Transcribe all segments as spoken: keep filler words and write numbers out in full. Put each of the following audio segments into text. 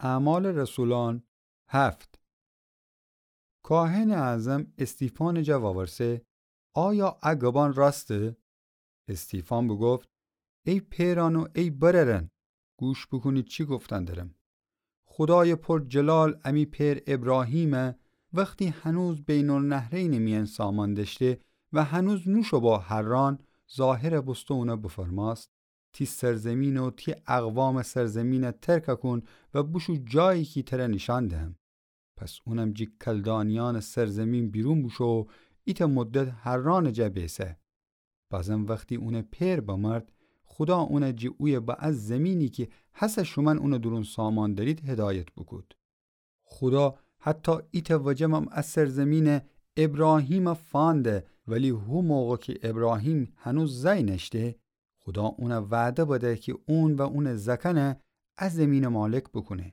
اعمال رسولان هفت. کاهنٚ اعظم استیفانٚ جا وورسه: آیا ا گبان راسته؟ استیفان بوگفت: ای پئرأن و ای برأرأن، گوش بوکونید چی گفتن درم. خودایٚ پور جلال امی پئر ابراهیمَ، وختی هنوز بین‌النهرینٚ میأن سامان دأشته و هنوز نوشو با حران، ظاهر بوسته اونَ بفرمأست: تی سرزمین و تی اقوامٚ سرزمینَ ترک کون و بوشو جایی کی تره نیشأن دهم. پس اونم جٚه کلدانیأنٚ سرزمین بیرون بوشو و ایتأ مدت حرانٚ جا بیسه. بازم وختی اونٚ پئر بمرد، خودا اونَ جٚه اویه به ا زمینی کی هسه شومأن اونٚ دورون سامان دأرید هدایت بوکود. خودا حتی ایتأ وجه‌م ا سرزمینَ ابراهیمَ فانده، ولی هو موقع کی ابراهیم هنوز زأی نأشته، خودا اونَ وعده بده کی اون و اونٚ زأکأنَ ا زمینٚ مالک بوکونه.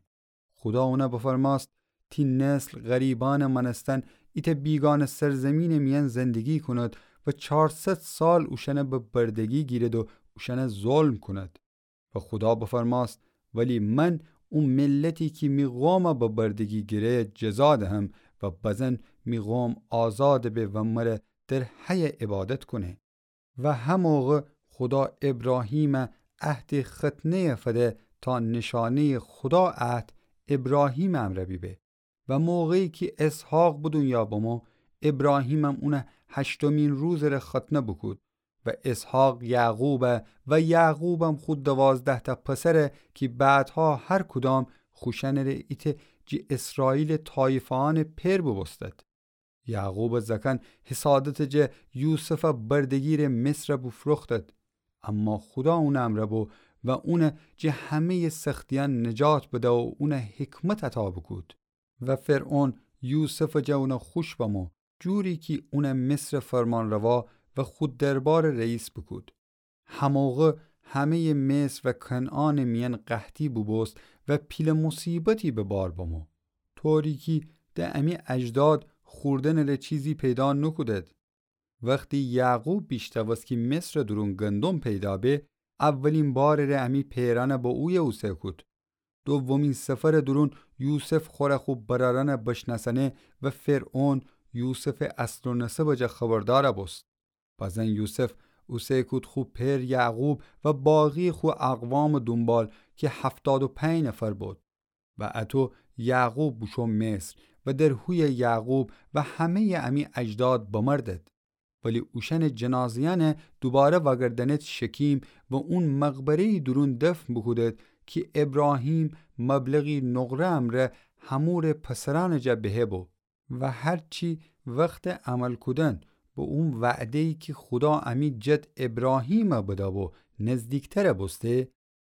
خودا اونَ بفرمأست: تی نسل غریبأنٚ مأنستن ایتأ بیگانه سرزمینٚ میأن زندگی کند و چارصد سال اوشأنَ به بردگی گیرد و اوشأنَ ظلم کند. و خودا بفرمأست: ولی من او ملتی کی می قومَ به بردگی گیره جزا دهم و بزن می قوم آزاد به و مره در حی عبادت کونه. و هموقع خودا ابراهیمَ عهدٚ ختنه‌یَ فده تا نشانه‌یٚ خودا عهد ابراهیمٚ امرأ بیبه. و موقعی کی اسحاق به دونیا بمو، ابراهیمم اونَ هشتمین روزٚ ره ختنه بوکود. و اسحاق یعقوبَ و یعقوبم خو دوازده‌تأ پسرَ کی بعدها هر کدام خوشأنٚ ره ایتأ جٚه اسرائیلٚ طایفه‌یأنٚ پئر بوبوستد. یعقوبٚ زأکأن حسادتٚ جا یوسفَ بردگیرٚ مصرَ بوفروختد. اما خودا اونٚ امرأ بو و اونَ جٚه همه‌یٚ سختیأن نجات بده و اونَ حکمت عطا بوکود. و فرعون یوسفٚ جا اونَ خوش بمو، جوری کی اونَ مصرٚ فرمانروا و خو دربارٚ رئیس بوکود. هموقع همه‌یٚ مصر و کنعانٚ میأن قحطی بوبوست و پیله مصیبتی به بار بمو، طوری کی ده امی اجداد خوردنٚ ره چیزی پیدا نوکودد. وختی یعقوب بیشنوست کی مصرٚ دورون گندم پیدا به، اولین بارٚ ره امی پئرأنَ به اویه اوسه کود. دومین سفرٚ دورون یوسف خوره خو برأرأنَ بشنأسأنه و فرعون یوسفٚ اصل و نسبٚ جا خبردار بوست. بزن یوسف اوسه کود خو پئر یعقوب و باقی خو اقوامٚ دونبال کی هفتاد و پنج نفر بود. و اطو یعقوب بوشو مصر و در هویه یعقوب و همه‌یٚ امی اجداد بمردد. ولی اوشأنٚ جنازه‌یأنَ دوباره وأگردأنید شکیم و اون مقبره‌یٚ دورون دفن بوکودید کی ابراهیم مبلغی نقره امرأ حمورٚ پسرأنٚ جا بهه بو. و هرچی وختٚ عمل کودن به اون وعده‌یی کی خودا امی جد ابراهیمَ بدأ بو نزدیکتر بوسته،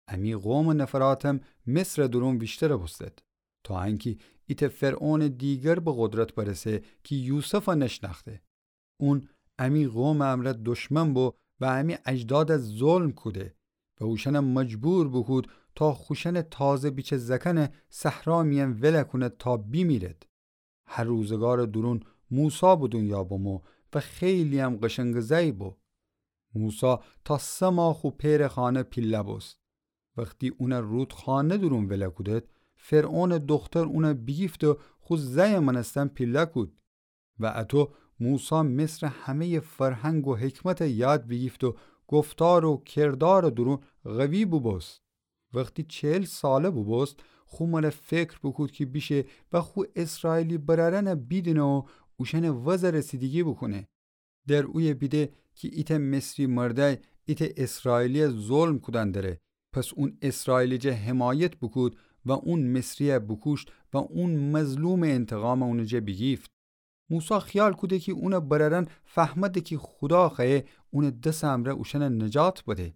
امی قومٚ نفراتم مصرٚ دورون ویشتر بوستد، تا انکی ایتأ فرعونٚ دیگر به قدرت برسه کی یوسفَ نشنأخته. اون امی قومٚ امرأ دشمن بو و امی اجدادَ ظلم کوده و اوشأنَ مجبور بوکود تا خوشأنٚ تازه بیچه زأکأنَ صحرا میأن ولَ کونید تا بیمیرید. هه روزگارٚ دورون موسی به دونیا بمو و خیلی‌یم قشنگٚ زأی بو. موسی تا سه ماه خو پئرٚ خانه پیله بوست. وختی اونَ رودخانه دورون ولَ کودید، فرعونٚ دوختر اونَ بیگیفت و خو زأیٚ مأنستن پیله کود. و اطو موسی مصرٚ همه‌یٚ فرهنگ و حکمتَ یاد بیگیفت و گفتار و کردارٚ دورون قوی بوبوست. وختی چهل ساله بوبوست، خو مره فکر بوکود کی بیشه و خو اسرائیلی برأرأنَ بیدینه و اوشأنٚ وزَ رسیدگی بوکونه. در اویه بیده کی ایتأ مصری مردأی ایتأ اسرائیلیَ ظلم کودن دره. پس اون اسرائیلی جا حمایت بوکود و اون مصریَ بوکوشت و اون مظلومٚ انتقامَ اونٚ جا بیگیفت. موسی خیال کوده کی اونٚ برأرأن فهمده کی خودا خوأیه اونٚ دسٚ امرأ اوشأنَ نجات بده،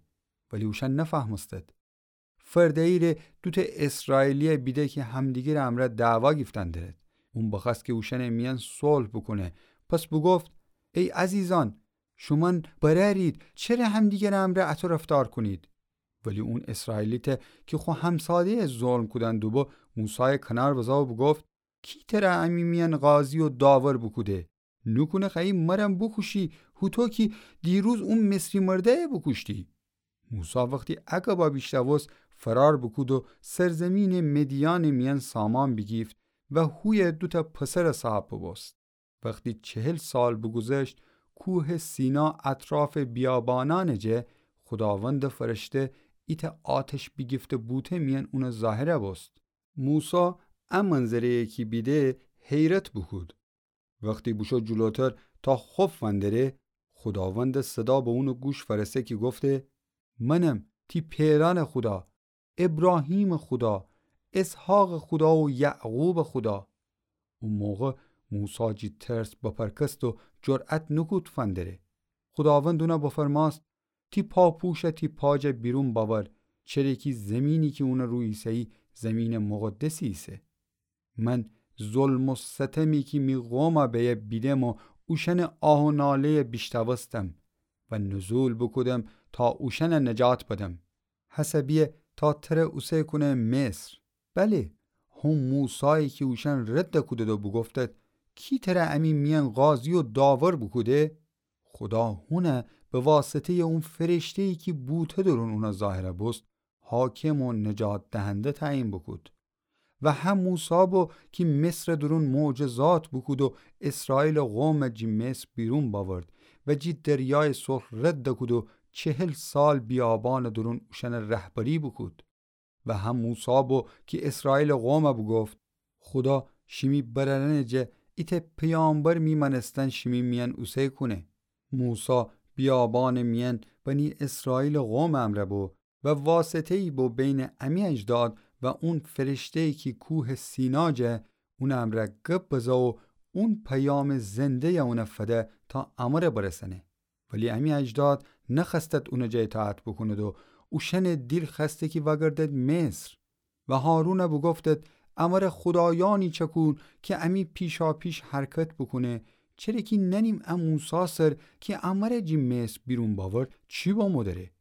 ولی اوشأن نفهمستد. فرده‌یی ره دوتأ اسرائیلیَ بیده کی همدیگرٚ امرأ دعوا گیفتن درید. اون بخوأست کی اوشأنٚ میأن صلح بوکونه. پس بوگفت: ای عزیزأن، شومأن برأرید، چره همدیگرٚ امرأ اطو رفتار کونید؟ ولی اون اسرائیلیتَ کی خو همساده‌یَ ظلم کودن دوبو، موسایَ کنار بزا و بوگفت: کی تره امی میأن قاضی و داور بوکوده؟ نوکونه خوأیی مرم بوکوشی، هوطو کی دیروز اون مصری مردأیَ بوکوشتی؟ موسی وختی ا گبَ بیشنوست، فرار بوکود و سرزمینٚ مدیانٚ میأن سامان بیگیفت و هویه دوتأ پسرٚ صاحب بوبوست. وختی چهل سال بوگوذشت، کوهٚ سینا اطرافٚ بیابانأنٚ جه خوداوندٚ فرشته ایتأ آتش بیگیفته بوته میأن اونٚ ظاهر بوست. موسی ا منظره‌یی کی بیده حیرت بوکود. وختی بوشو جلوتر تا خوف فندره، خوداوندٚ صدا به اونٚ گوش فأرسه کی گفته: منم تی پئرأنٚ خودا، ابراهیمٚ خودا، اسحاقٚ خودا و یعقوبٚ خودا. او موقع موسی جی ترس بپرکست و جرأت نوکود فندره. خوداوند اون بفرمأست: تی پاپوش تی پا جا بیرون بأور، چره کی زمینی کی اون رو ایسه‌یی زمینٚ مقدسی ایسه. من ظلم و ستمی کی می قوم بیه بیدم و اوشأنٚ آه و ناله‌ی بیشنوستم و نزول بوکودم تا اوشأن نجات بدم. هسه بیه تا تر اوسه کونه مصر. بله، هو موسایی کی اوشأن رد کودد و بوگفتد: کی تر امی میأن قاضی و داور بوکوده؟ خودا هون به واسطه‌ی اون فرشته‌یی کی بوته درون اون ظاهر بوست، حاکم و نجات دهنده تعیین بوکود. و هم موسی بو کی مصرٚ درون معجزات بوکود و اسرائیلٚ قوم جی مصر بیرون بأورد و جی دریایٚ سرخ رد کود و چهل سال بیابانٚ درون اوشأن رهبری بوکود. و هم موسی بو کی اسرائیلٚ قوم بوگفت: خودا شیمی برأرأنٚ جه ایتأ پیامبر می مأنستن شیمی میأن اوسه کونه. موسی بیابانٚ میأن بنی اسرائیلٚ قومٚ امرأ بو و واسطه‌یی بو بینٚ امی اجداد و اون فرشته‌یی کی کوهٚ سینا جه اونٚ امرأ گب بزه و اون پیامٚ زنده‌ی اون فده تا امر برسأنه. ولی امی اجداد نخوأستد اونٚ جا اطاعت بوکوند و اوشأنٚ دیل خوأسته کی وأگردد مصر. و هارون بوگفتد: امر خودایأنی چأکون کی امی پیشاپیش حرکت بوکونه، چره کی نأنیم ا موسی سر کی امر جی مصر بیرون بأورد چی بامو دأره؟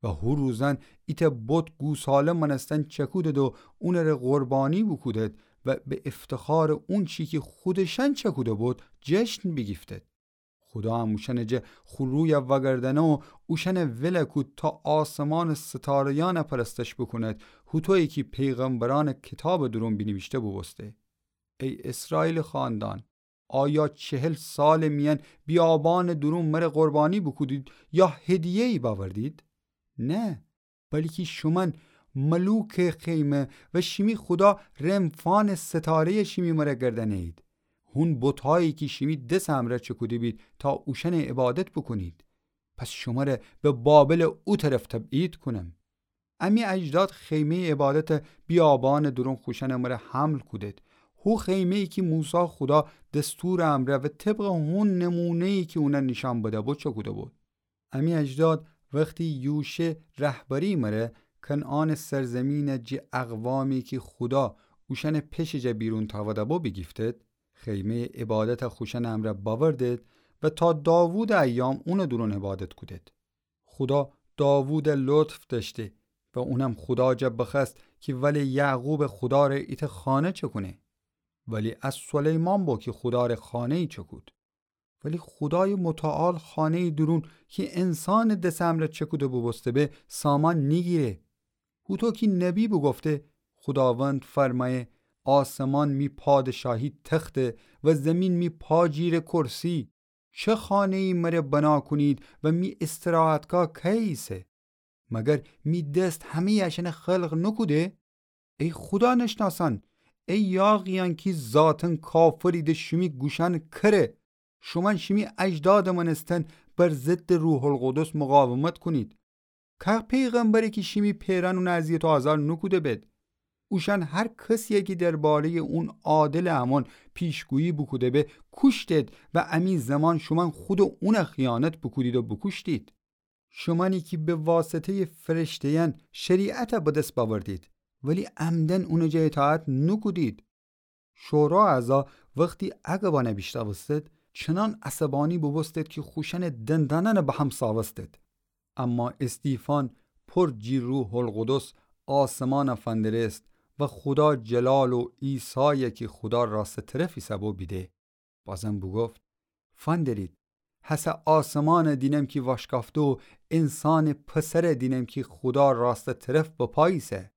و هو روزأن ایتأ بت گوساله مأنستن چأکودد و اونٚ ره قربانی بوکودد و به افتخارٚ اونچی کی خودشأن چأکوده بود جشن بیگیفتد. خودا هم اوشأنٚ جه خو روی وأگردأنه و اوشأن ول کود تا آسمانٚ ستاره‌یأن پرستش بوکوند، هوطویی کی پیغمبرأنٚ کتابٚ دورون بینیویشته بوبوسته. ای اسرائیلٚ خاندان، آیا چهل سالٚ میأن بیابانٚ دورون مر قربانی بوکودید یا هدیه‌یی بأوردید؟ نه، بلکی شومأن ملوکٚ خیمه و شیمی خودا رمفانٚ ستاره‌ی شیمی مر گردأنه‌یید، هون بتأیی کی شیمی دسٚ امرأ چکوده بید تا اوشأن عبادت بوکونید. پس شمر به بابلٚ او طرف تبعید کونم. امی اجداد خیمه‌یٚ عبادت بیابانٚ دورون خوشأنٚ مر حمل کودد، هو خیمه‌یی کی موسی خودا دستورٚ امرأ و طبقٚ هون نمونه‌یی کی اون نیشأن بده‌بو چکوده‌بو. امی اجداد وختی یوشع رهبری مر کنعانٚ سرزمین جی اقوامی کی خودا اوشأنٚ پشٚ جا بیرون تأوده‌بو بیگیفتد، خیمه‌یٚ عبادت خوشأنٚ امرأ بأوردد و تا داوودٚ ایام اونٚ دورون عبادت کودد. خودا داوود لطف دأشته و اونم خودا جا بخوأست کی ولٚ یعقوبٚ خودا ره ایتأ خانه چکونه. ولی ا سلیمان بو کی خودا ره خانه‌یی چکود. ولی خودایٚ متعال خانه‌یٚ دورون کی انسانٚ دسٚ امرأ چکوده بوبوسته به سامان نیگیره. هوطو کی نبی بوگفته، خوداوند فرمأیه: آسمان می پادشاهی تخته و زمین می پاجیرٚ کرسی. چه خانه‌یی مر بنا کونید و می استراحتگاه کیه ایسه؟ مگر می دست همه‌یٚ اشأن خلق نوکوده؟ ای خودا نشناسأن، ای یاغیأن کی ذاتاً کافرید، شیمی گوشأن کره، شومأن شیمی اجدادٚ مأنستن بر ضدٚ روح‌القدس مقاومت کونید. که پیغمبره کی شیمی پئرأن اون اذیت و آزار نوکوده بید؟ اوشأن هر کسیی کی درباره‌یٚ اون عادلٚ امون پیشگویی بوکوده به کوشتید و امی زمان شومأن خودٚ اون خیانت بوکودید و بوکوشتید. شومأنی کی به واسطه‌یٚ فرشته‌یأن شریعت به دس بأوردید، ولی عمداً اونٚ جا اطاعت نوکودید. شورا اعضا وختی ا گبأن بیشنوستد، چنان عصبانی بوبوستد کی خوشأنٚ دندانأن به هم ساوستد. اما استیفان پر جی روح‌القدس آسمان فندرست و خودا جلال و عیسای کی خودا راستٚ طرف ایسه‌بو بیده. بازم بوگفت: فندرید، هسه آسمان دینم کی واشکافته و انسانٚ پسرَ دینم کی خودا راستٚ طرف بپا ایسه.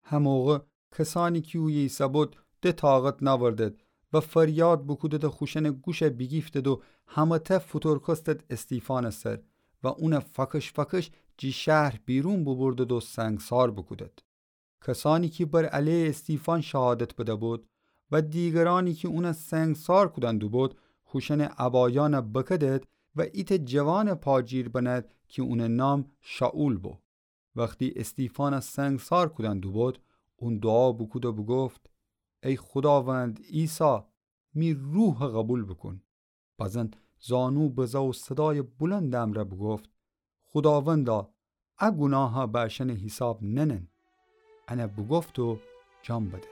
هموقع کسأنی کی اویه ایسه‌بود ده طاقت نأوردد و فریاد بوکودد و خوشأنٚ گوشَ بیگیفتد و همه‌تأ فوتورکستد استیفانٚ سر و اونَ فأکش فأکش جٚه شهر بیرون بوبوردد و سنگسار بوکودد. کسأنی کی بر علیه استیفان شهادت بده‌بود و دیگرأنی کی اونَ سنگسار کودن دوبود، خوشأنٚ عبایأنَ بکدد و ایتأ جوانٚ پاجیر بنه‌د کی اونٚ نام شائول بو. وختی استیفانَ سنگسار کودن دوبود، اون دوعا بوکود و بوگفت: ای خوداوند عیسی، می روحَ قوبیل بوکون. بزن زانو بزه و صدایٚ بلندٚ امرأ بوگفت: خوداوندا، ا گوناهَ به اشأنٚ حیساب ننن. انَ بوگفت و جان بده.